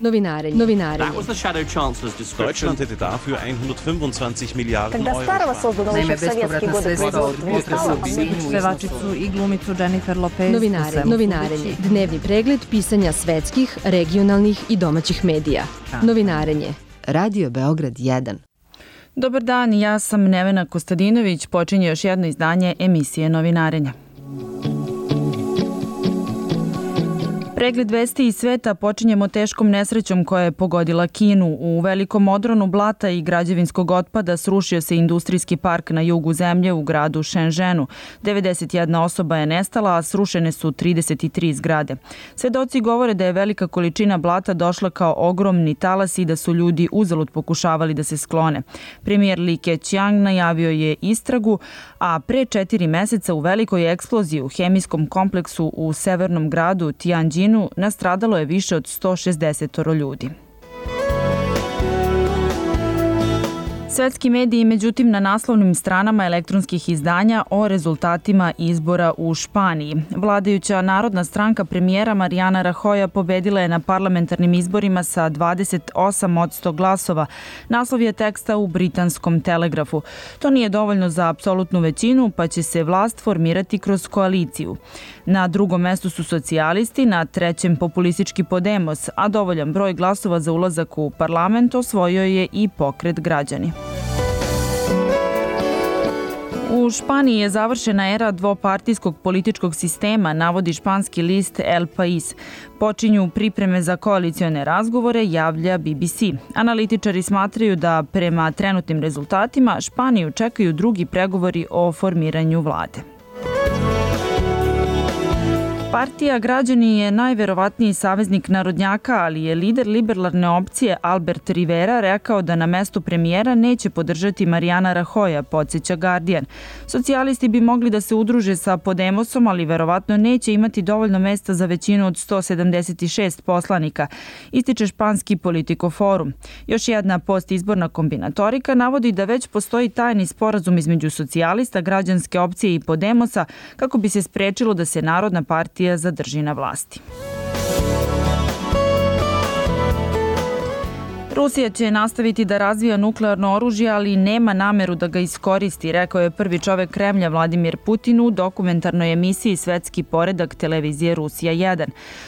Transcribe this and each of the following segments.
Novinarenje. Deutschland hätte dafür 125 Milijarden Euro. Naime, bespovratna sredstva od potresa u Sinju. Pevačicu i glumicu Jennifer Lopez. Novinarenje. Dnevni pregled pisanja svetskih, regionalnih i domaćih medija. Novinarenje. Radio Beograd 1. Dobar dan, ja sam Nevena Kostadinović. Počinje još jedno izdanje emisije Novinarenja. Pregled vesti iz sveta počinjemo teškom nesrećom koja je pogodila Kinu. U velikom odronu blata i građevinskog otpada srušio se industrijski park na jugu zemlje u gradu Shenzhenu. 91 osoba je nestala, a srušene su 33 zgrade. Svedoci govore da je velika količina blata došla kao ogromni talas i da su ljudi uzalud pokušavali da se sklone. Premijer Li Keqiang najavio je istragu, a pre 4 meseca u velikoj eksploziji u hemijskom kompleksu u severnom gradu Tianjin nastradalo je više od 160 ljudi. Svetski mediji, međutim, na naslovnim stranama elektronskih izdanja o rezultatima izbora u Španiji. Vladajuća Narodna stranka premijera Mariana Rajoya pobedila je na parlamentarnim izborima sa 28% glasova. Naslov je teksta u britanskom Telegrafu. To nije dovoljno za apsolutnu većinu, pa će se vlast formirati kroz koaliciju. Na drugom mestu su socijalisti, na trećem populistički Podemos, a dovoljan broj glasova za ulazak u parlament osvojio je i Pokret Građani. U Španiji je završena era dvopartijskog političkog sistema, navodi španski list El País. Počinju pripreme za koalicione razgovore, javlja BBC. Analitičari smatraju da prema trenutnim rezultatima Španiju čekaju drugi pregovori o formiranju vlade. Partija Građani je najverovatniji saveznik narodnjaka, ali je lider liberalne opcije Albert Rivera rekao da na mestu premijera neće podržati Mariana Rajoya, podsjeća Guardian. Socijalisti bi mogli da se udruže sa Podemosom, ali verovatno neće imati dovoljno mesta za većinu od 176 poslanika, ističe španski Politico Forum. Još jedna postizborna kombinatorika navodi da već postoji tajni sporazum između socijalista, građanske opcije i Podemosa kako bi se sprečilo da se Narodna partija zadrži na vlasti. Rusija će nastaviti da razvija nuklearno oružje, ali nema nameru da ga iskoristi, rekao je prvi čovek Kremlja Vladimir Putin u dokumentarnoj emisiji Svetski poredak televizije Rusija 1.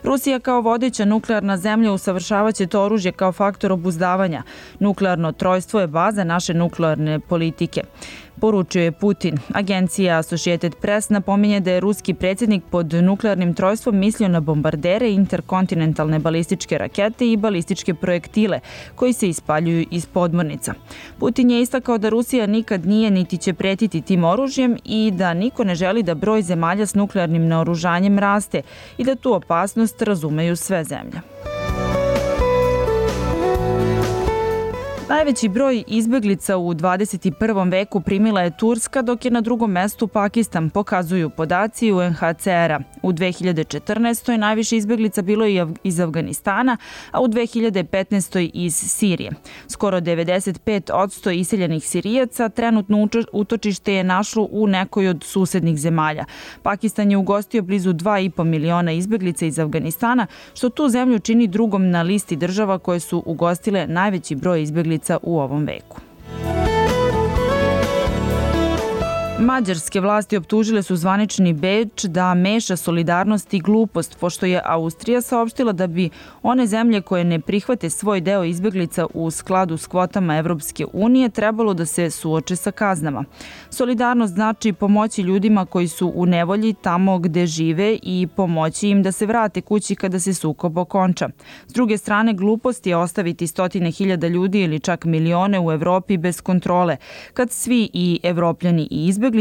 Rusija kao vodeća nuklearna zemlja usavršavaće to oružje kao faktor obuzdavanja. Nuklearno trojstvo je baza naše nuklearne politike, poručio je Putin. Agencija Associated Press napominje da je ruski predsjednik pod nuklearnim trojstvom mislio na bombardere, interkontinentalne balističke rakete i balističke projektile koji se ispaljuju iz podmornica. Putin je istakao da Rusija nikad nije niti će pretiti tim oružjem i da niko ne želi da broj zemalja s nuklearnim naoružanjem raste i da tu opasnost razumeju sve zemlje. Najveći broj izbeglica u 21. veku primila je Turska, dok je na drugom mestu Pakistan, pokazuju podaci UNHCR-a. U 2014. najviše izbeglica bilo je iz Afganistana, a u 2015. iz Sirije. Skoro 95% iseljenih Sirijaca trenutno utočište je našlo u nekoj od susednih zemalja. Pakistan je ugostio blizu 2,5 miliona izbeglica iz Afganistana, što tu zemlju čini drugom na listi država koje su ugostile najveći broj izbeglica u ovom veku. Mađarske vlasti optužile su zvanični Beč da meša solidarnost i glupost, pošto je Austrija saopštila da bi one zemlje koje ne prihvate svoj deo izbeglica u skladu s kvotama Evropske unije trebalo da se suoče sa kaznama. Solidarnost znači pomoći ljudima koji su u nevolji tamo gde žive i pomoći im da se vrate kući kada se sukob okonča. S druge strane, glupost je ostaviti stotine hiljada ljudi ili čak milione u Evropi bez kontrole, kad svi i Evropljani i izbeglice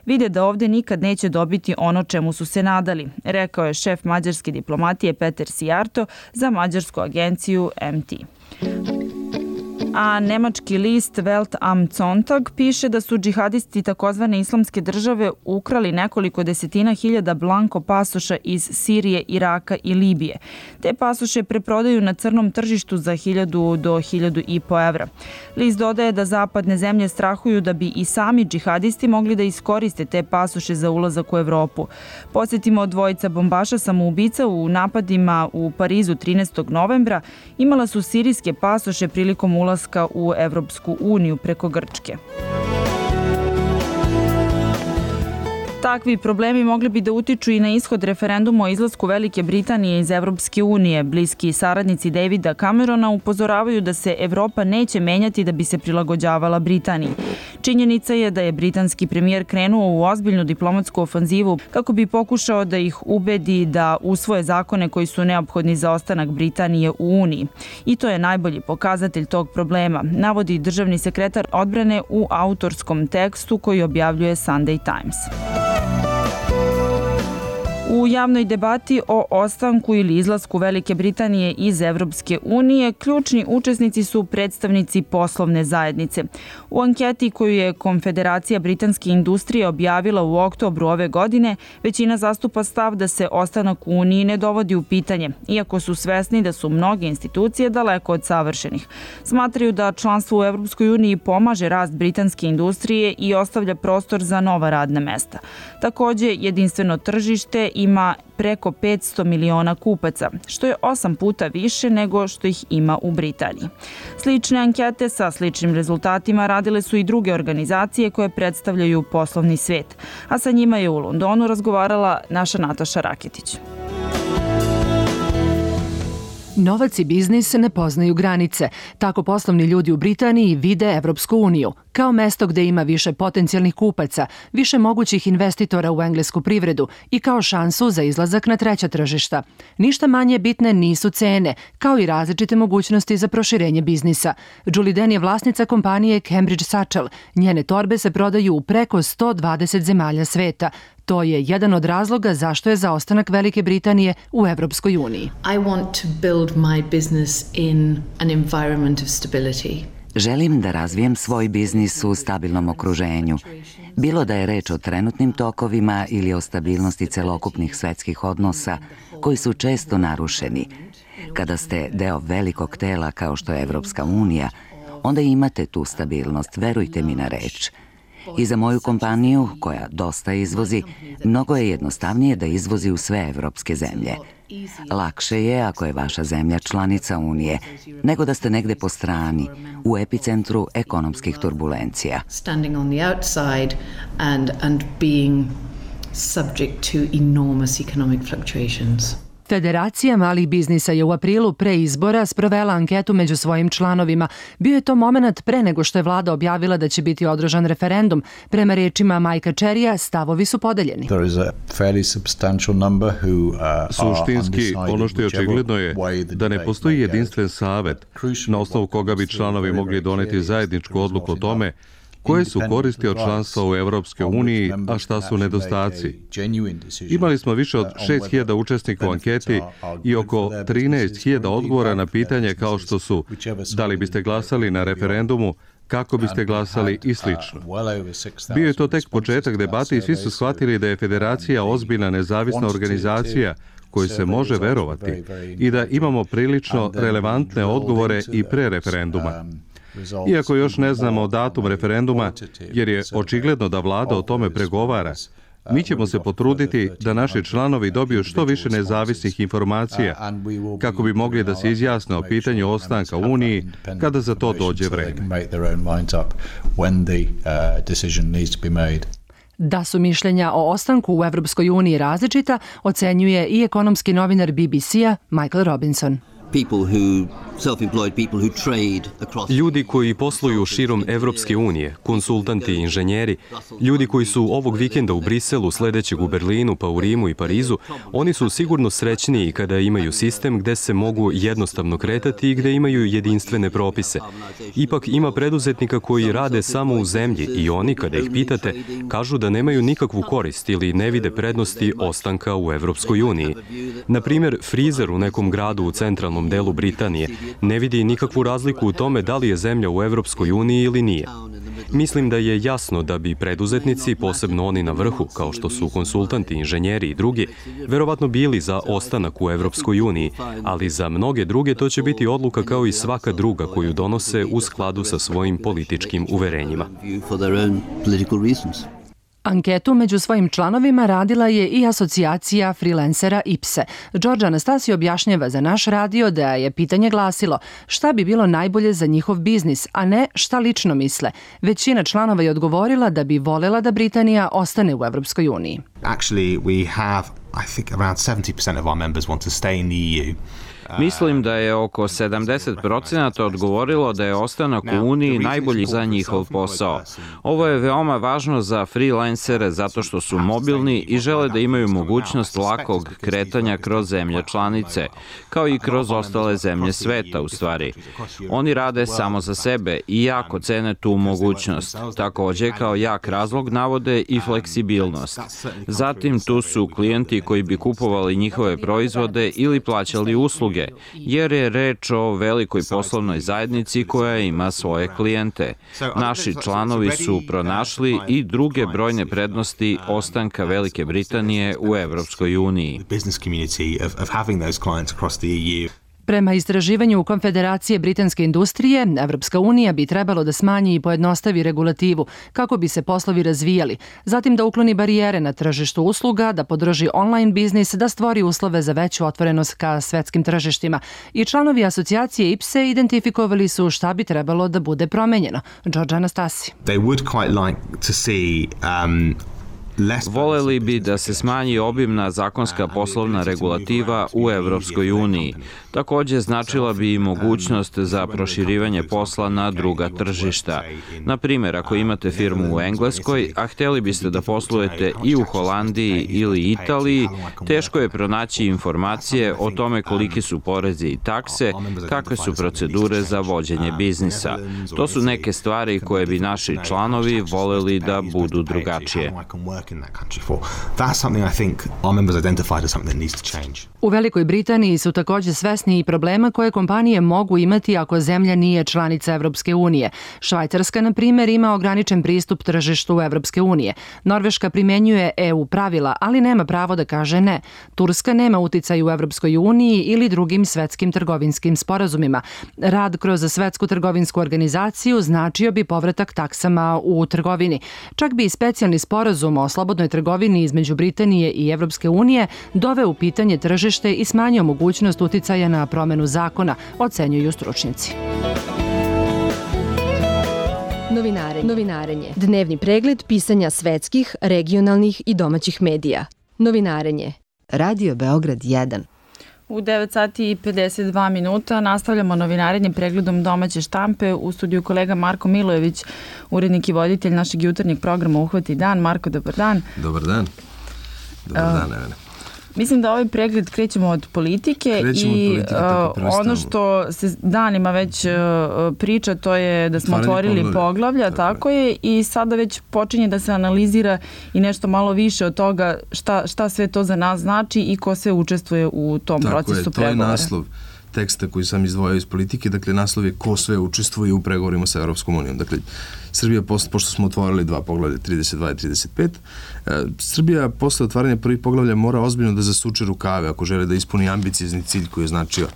vide da ovde nikad neće dobiti ono čemu su se nadali, rekao je šef mađarske diplomatije Peter Sijarto za mađarsku agenciju MT. a nemački list Welt am Sonntag piše da su džihadisti takozvane islamske države ukrali nekoliko desetina hiljada blanko pasoša iz Sirije, Iraka i Libije. Te pasoše preprodaju na crnom tržištu za 1000 do 1500 evra. List dodaje da zapadne zemlje strahuju da bi i sami džihadisti mogli da iskoriste te pasoše za ulazak u Evropu. Podsjetimo, dvojica bombaša samoubica u napadima u Parizu 13. novembra imala su sirijske pasoše prilikom ulaska u Evropsku uniju preko Grčke. Takvi problemi mogli bi da utiču i na ishod referenduma o izlasku Velike Britanije iz Evropske unije. Bliski saradnici Davida Camerona upozoravaju da se Evropa neće menjati da bi se prilagođavala Britaniji. Činjenica je da je britanski premijer krenuo u ozbiljnu diplomatsku ofanzivu kako bi pokušao da ih ubedi da usvoje zakone koji su neophodni za ostanak Britanije u Uniji. I to je najbolji pokazatelj tog problema, navodi državni sekretar odbrane u autorskom tekstu koji objavljuje Sunday Times. U javnoj debati o ostanku ili izlasku Velike Britanije iz Evropske unije ključni učesnici su predstavnici poslovne zajednice. U anketi koju je Konfederacija britanske industrije objavila u oktobru ove godine, većina zastupa stav da se ostanak u Uniji ne dovodi u pitanje, iako su svesni da su mnoge institucije daleko od savršenih. Smatraju da članstvo u Evropskoj uniji pomaže rast britanske industrije i ostavlja prostor za nova radna mesta. Takođe, jedinstveno tržište ima preko 500 miliona kupaca, što je 8 puta više nego što ih ima u Britaniji. Slične ankete sa sličnim rezultatima radile su i druge organizacije koje predstavljaju poslovni svet, a sa njima je u Londonu razgovarala naša Nataša Raketić. Novac i biznis ne poznaju granice. Tako poslovni ljudi u Britaniji vide Evropsku uniju kao mesto gde ima više potencijalnih kupaca, više mogućih investitora u englesku privredu i kao šansu za izlazak na treća tržišta. Ništa manje bitne nisu cene, kao i različite mogućnosti za proširenje biznisa. Julie Den je vlasnica kompanije Cambridge Satchel. Njene torbe se prodaju u preko 120 zemalja sveta. To je jedan od razloga zašto je za ostanak Velike Britanije u Evropskoj uniji. I want to build my business in an environment of stability. Želim da razvijem svoj biznis u stabilnom okruženju. Bilo da je reč o trenutnim tokovima ili o stabilnosti celokupnih svetskih odnosa koji su često narušeni. Kada ste deo velikog tela kao što je Evropska unija, onda imate tu stabilnost, verujte mi na reč. I za moju kompaniju, koja dosta izvozi, mnogo je jednostavnije da izvozi u sve evropske zemlje. Lakše je ako je vaša zemlja članica Unije, nego da ste negde po strani, u epicentru ekonomskih turbulencija. Standing on the outside and being subject to enormous economic fluctuations. Federacija malih biznisa je u aprilu pre izbora sprovela anketu među svojim članovima. Bio je to moment pre nego što je vlada objavila da će biti održan referendum. Prema rečima Majka Čerija, stavovi su podeljeni. Suštinski, ono što je očigledno je da ne postoji jedinstven savet na osnovu koga bi članovi mogli doneti zajedničku odluku o tome koje su koristi od članstva u Evropskoj uniji, a šta su nedostaci. Imali smo više od 6.000 učesnika u anketi i oko 13.000 odgovora na pitanje kao što su da li biste glasali na referendumu, kako biste glasali i slično. Bio je to tek početak debate i svi su shvatili da je Federacija ozbiljna nezavisna organizacija kojoj se može verovati i da imamo prilično relevantne odgovore i pre referenduma. Iako još ne znamo datum referenduma, jer je očigledno da vlada o tome pregovara, mi ćemo se potruditi da naši članovi dobiju što više nezavisnih informacija kako bi mogli da se izjasne o pitanju ostanka u Uniji kada za to dođe vreme. Da su mišljenja o ostanku u Evropskoj uniji različita, ocenjuje i ekonomski novinar BBC-a Michael Robinson. Ljudi koji posluju širom Evropske unije, konsultanti i inženjeri, ljudi koji su ovog vikenda u Briselu, sledećeg u Berlinu, pa u Rimu i Parizu, oni su sigurno srećniji kada imaju sistem gde se mogu jednostavno kretati i gde imaju jedinstvene propise. Ipak ima preduzetnika koji rade samo u zemlji i oni, kada ih pitate, kažu da nemaju nikakvu korist ili ne vide prednosti ostanka u Evropskoj uniji. Na primjer, frizer u nekom gradu u centralnom sjevernom delu Britanije, ne vidi nikakvu razliku u tome da li je zemlja u Evropskoj uniji ili nije. Mislim da je jasno da bi preduzetnici, posebno oni na vrhu, kao što su konsultanti, inženjeri i drugi, verovatno bili za ostanak u Evropskoj uniji, ali za mnoge druge to će biti odluka kao i svaka druga koju donose u skladu sa svojim političkim uverenjima. Anketu među svojim članovima radila je i asocijacija freelancera IPSE. Đorđe Anastasio objašnjava za naš radio da je pitanje glasilo šta bi bilo najbolje za njihov biznis, a ne šta lično misle. Većina članova je odgovorila da bi volela da Britanija ostane u Evropskoj uniji. Actually, we have, I think, around 70% of our members want to stay in the EU. Mislim da je oko 70% odgovorilo da je ostanak u Uniji najbolji za njihov posao. Ovo je veoma važno za freelancere zato što su mobilni i žele da imaju mogućnost lakog kretanja kroz zemlje članice, kao i kroz ostale zemlje sveta u stvari. Oni rade samo za sebe i jako cene tu mogućnost. Takođe, kao jak razlog navode i fleksibilnost. Zatim tu su klijenti koji bi kupovali njihove proizvode ili plaćali usluge, jer je reč o velikoj poslovnoj zajednici koja ima svoje klijente. Naši članovi su pronašli i druge brojne prednosti ostanka Velike Britanije u Evropskoj uniji. Prema istraživanju Konfederacije britanske industrije, Evropska unija bi trebalo da smanji i pojednostavi regulativu kako bi se poslovi razvijali, zatim da ukloni barijere na tržištu usluga, da podrži online biznis, da stvori uslove za veću otvorenost ka svetskim tržištima. I članovi asocijacije IPSE identifikovali su šta bi trebalo da bude promenjeno. Đorđe Anastasio. Voleli bi da se smanji obimna zakonska poslovna regulativa u Evropskoj uniji. Takođe, značila bi i mogućnost za proširivanje posla na druga tržišta. Na primjer, ako imate firmu u Engleskoj, a hteli biste da poslujete i u Holandiji ili Italiji, teško je pronaći informacije o tome koliki su porezi i takse, kakve su procedure za vođenje biznisa. To su neke stvari koje bi naši članovi voleli da budu drugačije. U Velikoj Britaniji su takođe svesni i problema koje kompanije mogu imati ako zemlja nije članica Evropske unije. Švajcarska, na primjer, ima ograničen pristup tržištu Evropske unije. Norveška primenjuje EU pravila, ali nema pravo da kaže ne. Turska nema uticaj u Evropskoj uniji ili drugim svetskim trgovinskim sporazumima. Rad kroz Svetsku trgovinsku organizaciju značio bi povratak taksama u trgovini. Čak bi i specijalni sporazum o slobodnoj trgovini između Britanije i Evropske unije doveo u pitanje tržište i smanjio mogućnost uticaja na promenu zakona, ocenjuju stručnjaci. Novinarenje. Dnevni pregled pisanja svetskih, regionalnih i domaćih medija. Novinarenje. Radio Beograd 1. U 9 sati i 52 minuta nastavljamo novinarenje pregledom domaće štampe. U studiju kolega Marko Milojević, urednik i voditelj našeg jutarnjeg programa Uhvati dan. Marko, dobar dan. Dobar dan. Dobar dan, Evene. Mislim da ovaj pregled krećemo od politike i ono što se danima već priča, to je da smo otvorili poglavlja, tako je, i sada već počinje da se analizira i nešto malo više od toga šta sve to za nas znači i ko sve učestvuje u tom procesu pregovora. To je naslov teksta koji sam izdvojio iz politike, dakle naslov je ko sve učestvuje u pregovorima sa Evropskom unijom. Dakle, Srbija, pošto smo otvorili dva poglavlja, 32 i 35, Srbija posle otvaranja prvih poglavlja mora ozbiljno da zasuče rukave ako žele da ispuni ambiciozni cilj koji je značio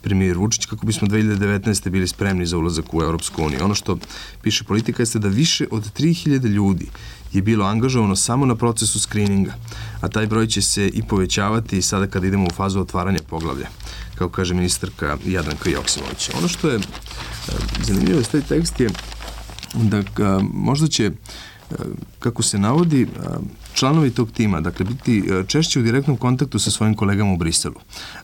premijer Vučić kako bismo 2019. bili spremni za ulazak u Evropsku uniju. Ono što piše politika jeste da više od 3000 ljudi je bilo angažovano samo na procesu skrininga, a taj broj će se i povećavati sada kada idemo u fazu otvaranja poglavlja, kako kaže ministarka Jadranka Joksimović. Ono što je zanimljivo s taj tekst je da možda će, kako se navodi, članovi tog tima, dakle, biti češće u direktnom kontaktu sa svojim kolegama u Briselu,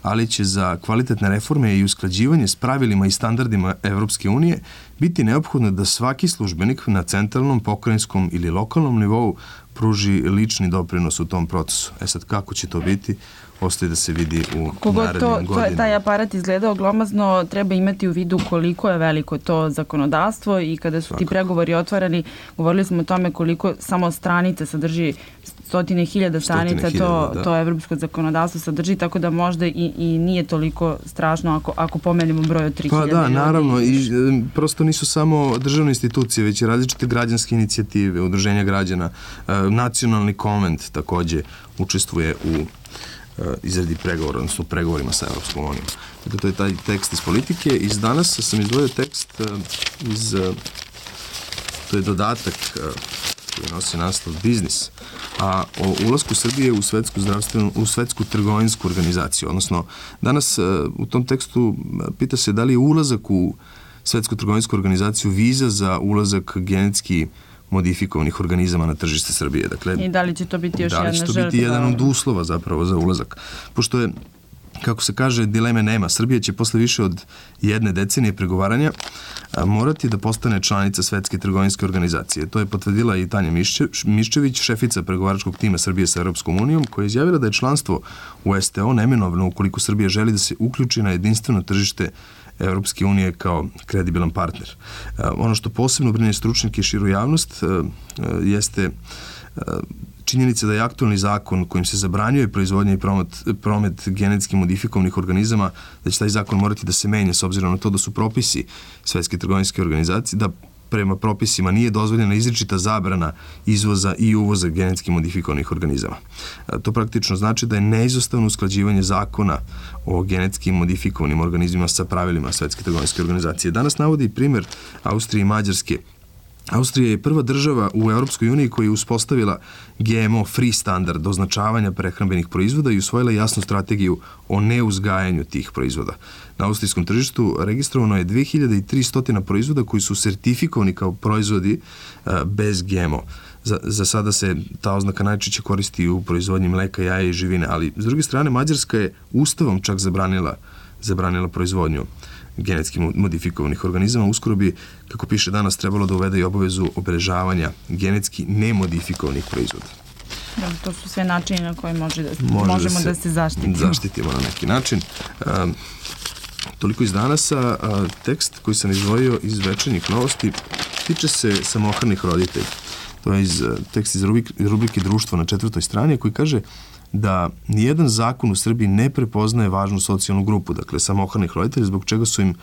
ali će za kvalitetne reforme i usklađivanje s pravilima i standardima Evropske unije biti neophodno da svaki službenik na centralnom, pokrajinskom ili lokalnom nivou pruži lični doprinos u tom procesu. Sad, kako će to biti, ostaje da se vidi u narednim godinama. Taj aparat izgledao glomazno, treba imati u vidu koliko je veliko to zakonodavstvo i kada su ti pregovori otvarani, govorili smo o tome koliko samo stranica sadrži 100.000 stranica to evropsko zakonodavstvo sadrži, tako da možda i nije toliko strašno ako pomenemo broj od 3.000 Pa da, ljudi. naravno, i prosto nisu samo državne institucije, već i različite građanske inicijative, udruženja građana, nacionalni konvent takođe učestvuje u izradi pregovora, odnosno pregovorima sa Evropskom unijom. Dakle, to je taj tekst iz politike. Iz danas sam izdvojio tekst to je dodatak koji nosi naslov Biznis, a o ulasku Srbije u svetsku trgovinsku organizaciju. Odnosno, danas u tom tekstu pita se da li je ulazak u svetsku trgovinsku organizaciju viza za ulazak genetski modifikovanih organizama na tržište Srbije. Dakle, i da li će to biti još jedna žrtva? Da li će to biti jedan od uslova zapravo za ulazak? Pošto je, kako se kaže, dileme nema. Srbija će posle više od 1 decenije pregovaranja morati da postane članica Svetske trgovinske organizacije. To je potvrdila i Tanja Miščević, šefica pregovaračkog tima Srbije sa Europskom unijom, koja je izjavila da je članstvo u STO neminovno ukoliko Srbija želi da se uključi na jedinstveno tržište Evropske unije kao kredibilan partner. Ono što posebno brine stručnjake i širu javnost jeste činjenica da je aktualni zakon kojim se zabranjuje proizvodnja i promet genetski modifikovanih organizama, da će taj zakon morati da se menja s obzirom na to da su propisi Svetske trgovinske organizacije, da prema propisima nije dozvoljena izričita zabrana izvoza i uvoza genetski modifikovanih organizama. To praktično znači da je neizostavno usklađivanje zakona o genetski modifikovanim organizmima sa pravilima Svetske trgovinske organizacije. Danas navodi primjer Austrije i Mađarske. Austrija je prva država u Europskoj uniji koja je uspostavila GMO free standard označavanja prehrambenih proizvoda i usvojila jasnu strategiju o neuzgajanju tih proizvoda. Na austrijskom tržištu registrovano je 2300 proizvoda koji su sertifikovani kao proizvodi bez GMO. Za sada se ta oznaka najčešće koristi u proizvodnji mleka, jaja i živine, ali s druge strane Mađarska je ustavom čak zabranila proizvodnju genetski modifikovanih organizama. Uskoro bi, kako piše danas, trebalo da uvede i obavezu obeležavanja genetski nemodifikovanih proizvoda. To su sve načini na koji možemo da se zaštitimo. Zaštitimo na neki način. Toliko iz danasa. Tekst koji sam izdvojio iz Večernjih novosti tiče se samohranih roditelja. To je tekst iz rubrike Društvo na 4. strani koji kaže da nijedan zakon u Srbiji ne prepoznaje važnu socijalnu grupu, dakle samohranih roditelja, zbog čega su im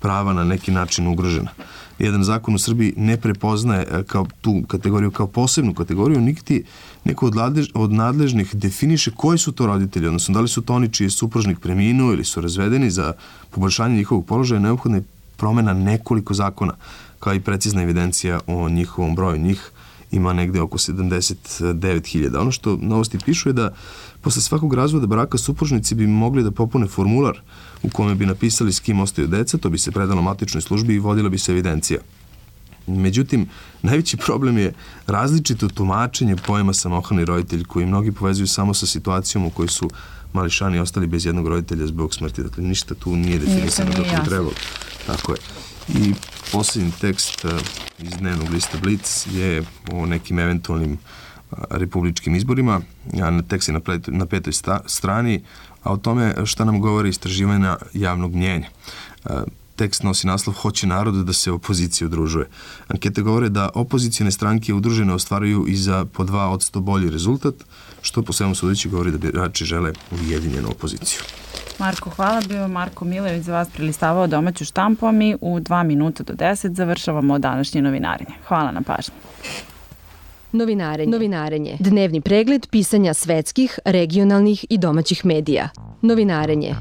prava na neki način ugrožena. Nijedan zakon u Srbiji ne prepoznaje kao tu kategoriju, kao posebnu kategoriju, niti neko od nadležnih definiše koji su to roditelji, odnosno da li su to oni čiji je supružnik preminuo ili su razvedeni. Za poboljšanje njihovog položaja neophodna je promena nekoliko zakona, kao i precizna evidencija o njihovom broju. Njih ima negde oko 79.000. Ono što novosti pišu je da posle svakog razvoda braka supružnici bi mogli da popune formular u kome bi napisali s kim ostaju deca, to bi se predalo matičnoj službi i vodila bi se evidencija. Međutim, najveći problem je različito tumačenje pojma samohrani roditelj, koji mnogi povezuju samo sa situacijom u kojoj su mališani ostali bez jednog roditelja zbog smrti. Dakle, ništa tu nije definisano kako bi trebalo. Tako je. I posljednji tekst iz dnevnog lista Blic je o nekim eventualnim republičkim izborima. Tekst je na 5. strani, a o tome šta nam govori istraživanja javnog mnjenja. Tekst nosi naslov Hoće narod da se opozicija udružuje. Ankete govore da opozicijone stranke udružene ostvaruju i za po 2% bolji rezultat, što po svemu sudeći govori da birači žele ujedinjenu opoziciju. Marko, hvala. Bio Marko Milević za vas prelistavao domaću štampu, a mi u 2 minuta do 10 završavamo današnje novinarenje. Hvala na pažnji. Novinarenje. Dnevni pregled pisanja svetskih, regionalnih i domaćih medija. Novinarenje.